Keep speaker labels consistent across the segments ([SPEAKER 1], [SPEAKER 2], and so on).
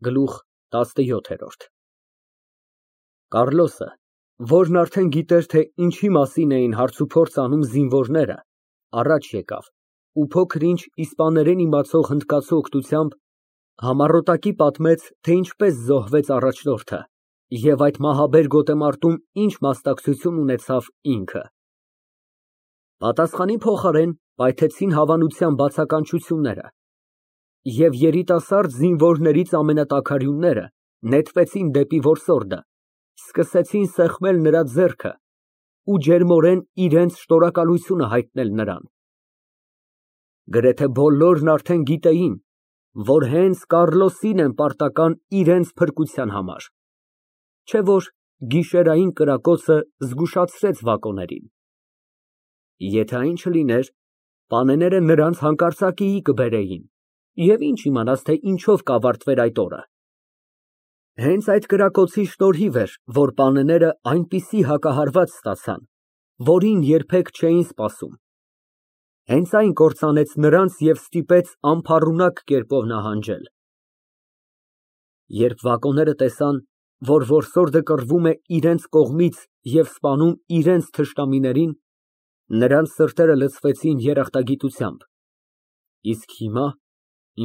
[SPEAKER 1] Գլուխ ՏԱՍՆՅՈԹԵՐՈՐԴ Կառլոսը, որն արդեն գիտեր, թե ինչի մասին էին հարցուփորձ անում զինվորները, առաջ եկավ ու փոքր֊ինչ իսպաներեն իմացող հնդկացու օգնությամբ համառոտակի պատմեց, թե ինչպես զոհվեց առաջնորդը և այդ մահաբեր գոտեմարտում ինչ մասնակցություն ունեցավ ինքը։ Պատասխանի փոխարեն պայթեցին հավանության բացականչությունները, և երիտասարդ զինվորներից ամենատաքարյունները նետվեցին դեպի որսորդը, սկսեցին սեղմել նրա ձեռքը ու ջերմորեն իրենց շնորհակալությունը հայտնել նրան։ Գրեթե բոլորն արդեն գիտեին, որ հենց Կառլոսին են պարտական իրենց փրկության համար, չէ՞ որ գիշերային կրակոցը զգուշացրեց վագոներին։ Եթե այն չլիներ, պանեները նրանց հանկարծակիի կբերեին, և ինչ իմանաս, թե ինչով կավարտվեր այդ օրը։ Հենց այդ կրակոցի շնորհիվ էր, որ պանեները այնպիսի հակահարված ստացան, որին երբեք չէին սպասում։ Հենց այն կործանեց նրանց և ստիպեց անփառունակ կերպով նահանջել։ Երբ վագոները տեսան, որ որսորդը կռվում է իրենց կողմից և սպանում իրենց թշնամիներին, նրանց սրտերը լցվեցին երախտագիտությամբ, իսկ հիմա,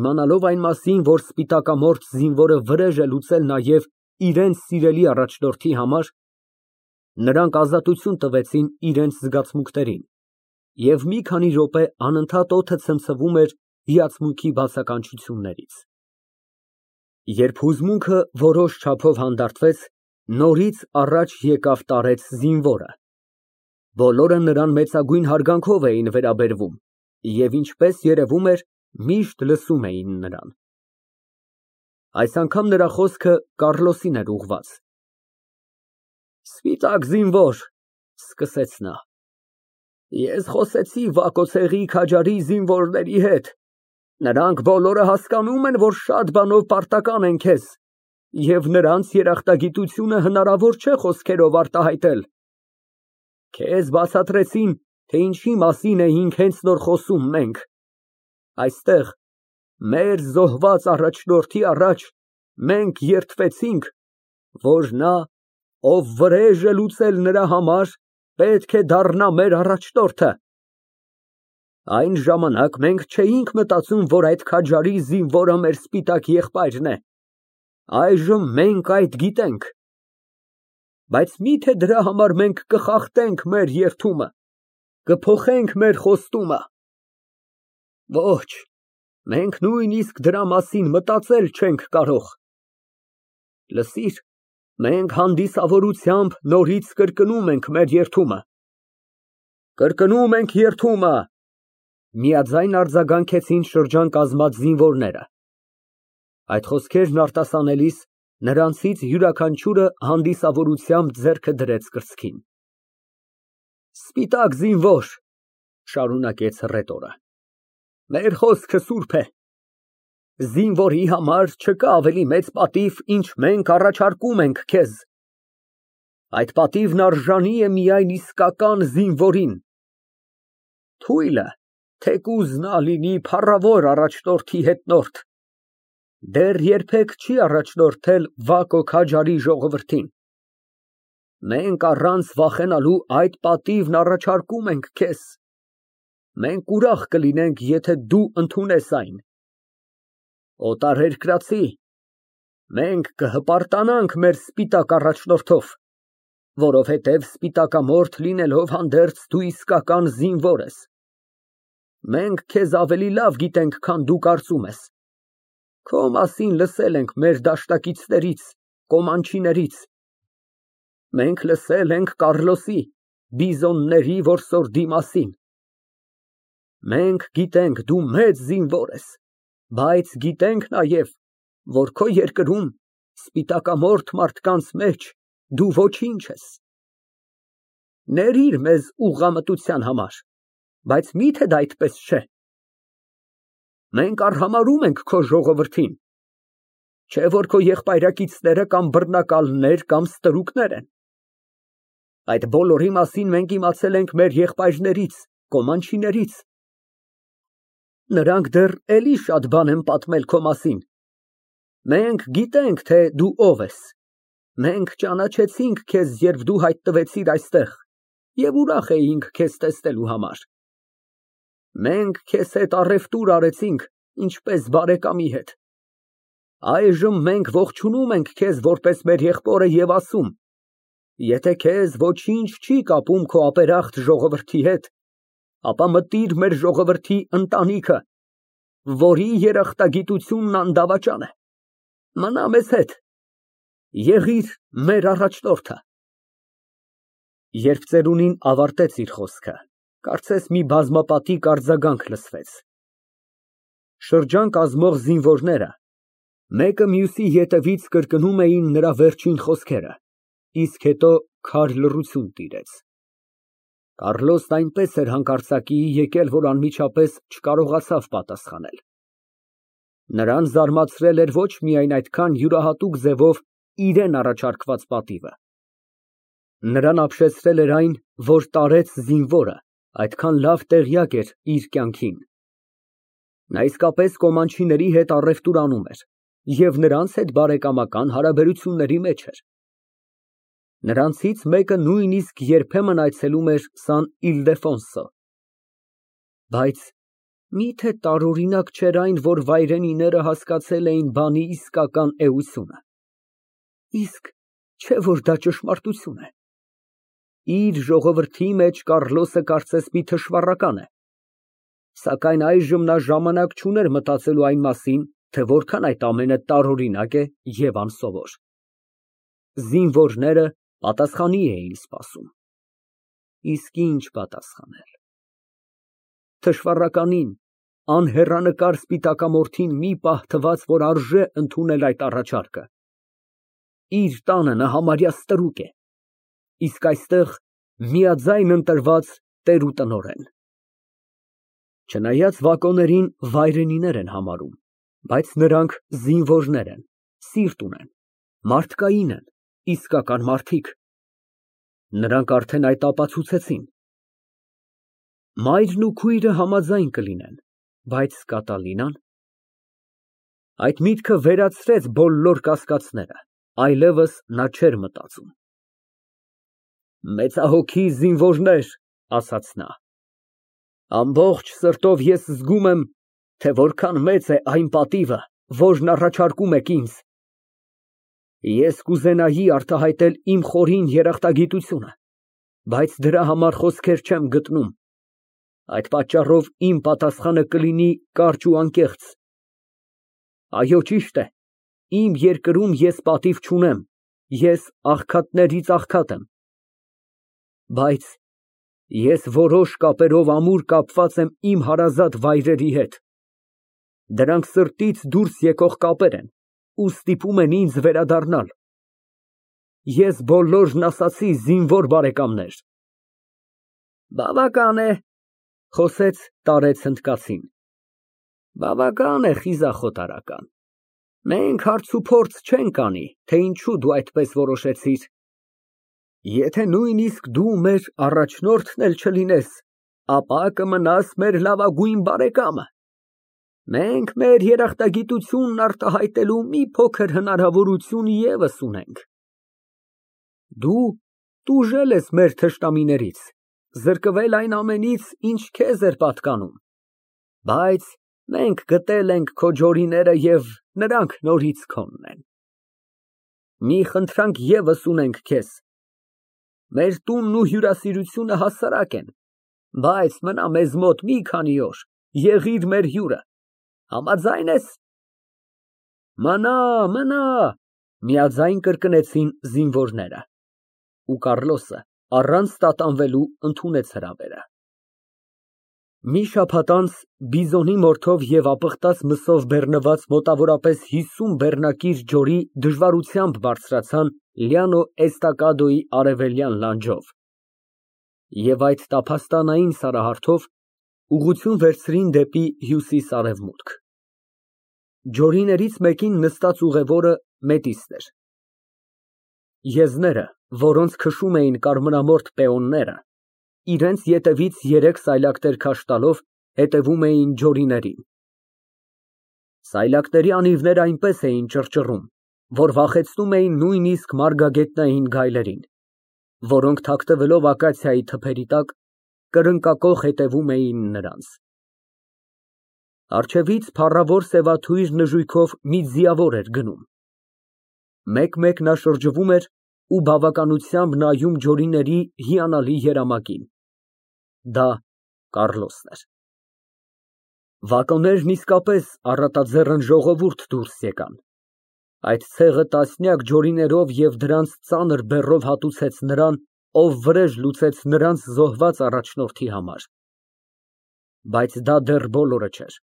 [SPEAKER 1] իմանալով այն մասին, որ սպիտակամորթ զինվորը վրեժ է լուծել նաև իրենց սիրելի առաջնորդի համար, նրանք ազատություն տվեցին իրենց զգացմունքներին, և մի քանի րոպե անընդհատ օդը ցմցվում էր հիացմունքի բացականչություններից։ Երբ հուզմունքը որոշ չափով հանդարտվեց, նորից առաջ եկավ տարեց զինվորը։ Բոլորը նրան մեծագույն հարգանքով էին վերաբերվում և, ինչպես երևում էր, միշտ լսում էին նրան։ Այս անգամ նրա խոսքը Կառլոսին էր ուղղված։ Սպիտակ զինվոր, սկսեց նա, ես խոսեցի Վակոցեղի Քաջարի զինվորների հետ, նրանք բոլորը հասկանում են, որ շատ բանով պարտական են քեզ, և նրանց երախտագիտությունը հնարավոր չէ խոսքերով արտահայտել։ Քեզ բացատրեցին, թե ինչի մասին էինք հենց նոր խոսում մենք։ Այստեղ, մեր զոհված առաջնորդի առաջ, մենք երդվեցինք, որ նա, ով վրեժ է լուծել նրա համար, պետք է դառնա մեր առաջնորդը։ Այն ժամանակ մենք չէինք մտածում, որ այդ Քաջարի զինվորը մեր սպիտակ եղբայրն է, այժմ մենք այդ գիտենք։ Բայց մի՞թե դրա համար մենք կխախտենք մեր երդումը, կփոխենք մեր խոստումը։ Ոչ, մենք նույնիսկ դրա մասին մտածել չենք կարող։ Լսիր, մենք հանդիսավորությամբ նորից կրկնում ենք մեր երդումը։ Կրկնում ենք երդումը, միաձայն արձագանքեցին շրջան կազմած զինվորները։ Այդ խոսքերն արտասանելիս նրանցից յուրաքանչյուրը հանդիսավորությամբ ձեռքը դրեց կրծքին։ Սպիտակ զինվոր, շարունակեց հռետորը, մեր խոսքը սուրբ է։ Զինվորի համար չկա ավելի մեծ պատիվ, ինչ մենք առաջարկում ենք քեզ։ Այդ պատիվն արժանի է միայն իսկական զինվորին։ Թույլը, թեկուզ նա լինի փառավոր առաջնորդի հետնորդ, դեռ երբեք չի առաջնորդել Վակո Քաջարի ժողովրդին։ Մենք առանց վախենալու այդ պատիվն առաջարկում ենք քեզ։ Մենք ուրախ կլինենք, եթե դու ընդունես այն։ Օտարերկրացի, մենք կհպարտանանք մեր սպիտակ առաջնորդով, որովհետև սպիտակամորթ լինելով հանդերձ դու իսկական զինվոր ես։ Մենք քեզ ավելի լավ գիտենք, քան դու կարծում ես։ Քո մասին լսել ենք մեր դաշնակիցներից, կոմանչիներից։ Մենք լսել ենք Կառլոսի, բիզոնների որսորդի մասին։ Մենք գիտենք, դու մեծ զինվոր ես, բայց գիտենք նաև, որ քո երկրում, սպիտակամորթ մարդկանց մեջ, դու ոչինչ ես։ Ներիր մեզ ուղղամտության համար, բայց մի՞թե դա այդպես չէ։ Մենք արհամարհում ենք քո ժողովրդին, չէ՞ որ քո եղբայրակիցները կամ բռնակալներ կամ ստրուկներ են։ Այդ բոլորի մասին մենք իմացել ենք մեր եղբայրներից, կոմանչիներից։ Նրանք դեռ էլի շատ բան են պատմել քո մասին։ Մենք գիտենք, թե դու ով ես։ Մենք ճանաչեցինք քեզ, երբ դու հայտնվեցիր այստեղ, և ուրախ էինք քեզ տեսնելու համար։ Մենք քեզ հետ առևտուր արեցինք, ինչպես բարեկամի հետ։ Այժմ մենք ողջունում ենք քեզ որպես մեր եղբորը և ասում. եթե քեզ ոչինչ չի կապում քո ապերախտ ժողովրդի հետ, ապա մտիր մեր ժողովրդի ընտանիքը, որի երախտագիտությունն անդավաճան է, մնա մեզ հետ, եղիր մեր առաջնորդը։ Երբ ծերունին ավարտեց իր խոսքը, կարծես մի բազմապատիկ արձագանք լսվեց։ Շրջան կազմող զինվորները մեկը մյուսի ետևից կրկնում էին նրա վերջին խոսքերը, իսկ հետո քար լռություն տիրեց։ Կարլոսն այնպես էր հանկարծակիի եկել, որ անմիջապես չկարողացավ պատասխանել։ Նրան զարմացրել էր ոչ միայն այդքան յուրահատուկ ձևով իրան առաջարկված պատիվը։ Նրան ապշեցրել էր այն, որ տարեց զինվորը այդքան լավ տեղյակ էր իր կյանքին։ Նա իսկապես կոմանչիների հետ առևտուր անում էր և նրանց հետ բարեկամական հարաբերությունների մեջ էր։ Նրանցից մեկը նույնիսկ երբեմն այցելում էր Սան Իլդեֆոնսո։ Բայց միթե տարօրինակ չէր այն, որ վայրենիները հասկացել էին բանի իսկական էությունը։ Իսկ չէ՞ որ դա ճշմարտություն է։ Իր ժողովրդի մեջ Կարլոսը կարծես մի թշվառական է, սակայն այժմ նա ժամանակ չուներ մտածելու այն մասին, թե որքան այդ ամենը տարօրինակ է և անսովոր։ Զինվորները պատասխանի էին սպասում։ Իսկ ինչ պատասխանել։ Թշվառականին, անհեռանկար սպիտակամորթին մի պահ թվաց, որ արժե ընդունել այդ առաջարկը։ Իր տանը նա համարյա ստրուկ է, իսկ այստեղ միաձայն ընտրված տեր ու տնօրեն։ Չնայած վագոներին վայրենիներ են համարում, բայց նրանք զինվորներ են, սիրտ ունեն, մարդկային են, իսկական մարդիկ։ Նրանք արդեն այդ ապացուցեցին։ Մայրն ու քույրը համաձայն կլինեն, բայց Կատալինա՞ն։ Այդ միտքը վերացրեց բոլոր կասկածները, այլևս նա չէր մտածում։ Մեծահոգի զինվորներ, ասաց նա, ամբողջ սրտով ես զգում եմ, թե որքան մեծ է այն պատիվը, որն առաջարկում եք ինձ։ Ես կուզենայի արտահայտել իմ խորին երախտագիտությունը, բայց դրա համար խոսքեր չեմ գտնում։ Այդ պատճառով իմ պատասխանը կլինի կարճ ու անկեղծ։ Այո, ճիշտ է, իմ երկրում ես պատիվ չունեմ, ես աղքատներից աղքատ եմ։ Բայց ես որոշ կապերով ամուր կապված եմ իմ հարազատ վայրերի հետ։ Դրանք սրտից դուրս եկող կապեր են ու ստիպում են ինձ վերադառնալ։ Ես բոլորն ասացի, զինվոր բարեկամներ։ Բավական է, խոսեց տարեց հնդկացին։ Բավական է, խիզախոտարական։ Մենք հարց ու փորձ չենք անի, թե ինչու դու այդպես որոշեցիր։ Եթե նույնիսկ դու մեր առաջնորդն էլ չլինես, ապա կմնաս մեր լավագույն բարեկամը։ Մենք մեր երախտագիտությունն արտահայտելու մի փոքր հնարավորություն ևս ունենք։ Դու տուժել ես մեր թշնամիներից, զրկվել այն ամենից, ինչ քեզ էր պատկանում, բայց մենք գտել ենք քո ջորիները և նրանք նորից քոնն են։ Մի խնդրանք ևս ունենք քեզ։ Մեր տունն ու հյուրասիրությունը հասարակ են, բայց մնա մեզ մոտ մի քանի օր, եղիր մեր հյուրը, համաձա՞յն ես։ Մնա, միաձայն կրկնեցին զինվորները։ Ու Կարլոսը առանց տատանվելու ընդունեց հրավերը։ Մի շաբաթ անց բիզոնի մորթով և ապխտած մսով բեռնված մոտավորապես 50 բեռնակիր ջորի դժվարությամբ բարձրացան Լյանո Էստակադոյի արևելյան լանջով և այդ տափաստանային սարահարթով ուղղություն վերցրին դեպի հյուսիս֊արևմուտք։ Ջորիներից մեկին նստած ուղևորը Մետիսն էր։ Եզները, որոնց քշում էին կարմրամորթ պեոնները, իրենց ետևից 3 սայլակտեր քաշ տալով հետևում էին ջորիներին։ Սայլակների անիվները այնպես էին ճռճռում, որ վախեցնում էին նույնիսկ մարգագետնային գայլերին, որոնք թաքնվելով ակացիայի թփերի տակ, կրնկակոխ հետևում էին նրանց։ Առջևից փառավոր սևաթույր նժույգով մի ձիավոր էր գնում։ Մեկ֊մեկ նա շրջվում էր ու բավականությամբ նայում ջորիների հիանալի երամակին։ Դա Կառլոսն էր։ Վագոներն իսկապես առատաձեռն ժողովուրդ դուրս եկան։ Այդ ցեղը տասնյակ ջորիներով և դրանց ծանր բեռով հատուցեց նրան, ով վրեժ լուծեց նրանց զոհված առաջնորդի համար։ Բայց դա դեռ բոլորը չէր։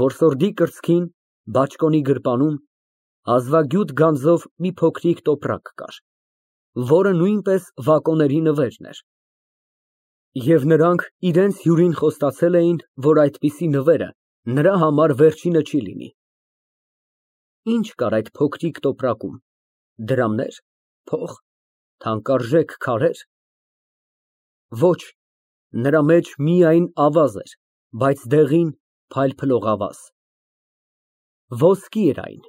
[SPEAKER 1] Որսորդի կրծքին, բաճկոնի գրպանում հազվագյուտ գանձով մի փոքրիկ տոպրակ կար, որը նույնպես վագոների նվերն էր։ Եվ նրանք իրենց հյուրին խոստացել էին, որ այդպիսի նվերը նրա համար վերջինը չի լինի։ Ինչ կար այդ փոքրիկ տոպրակում, դրամնե՞ր, փող, թանկարժեք քարե՞ր։ Ոչ, նրա մեջ միայն ավազ էր, բայց դեղին, փայլփլող ավազ։ Ոսկի էր այն,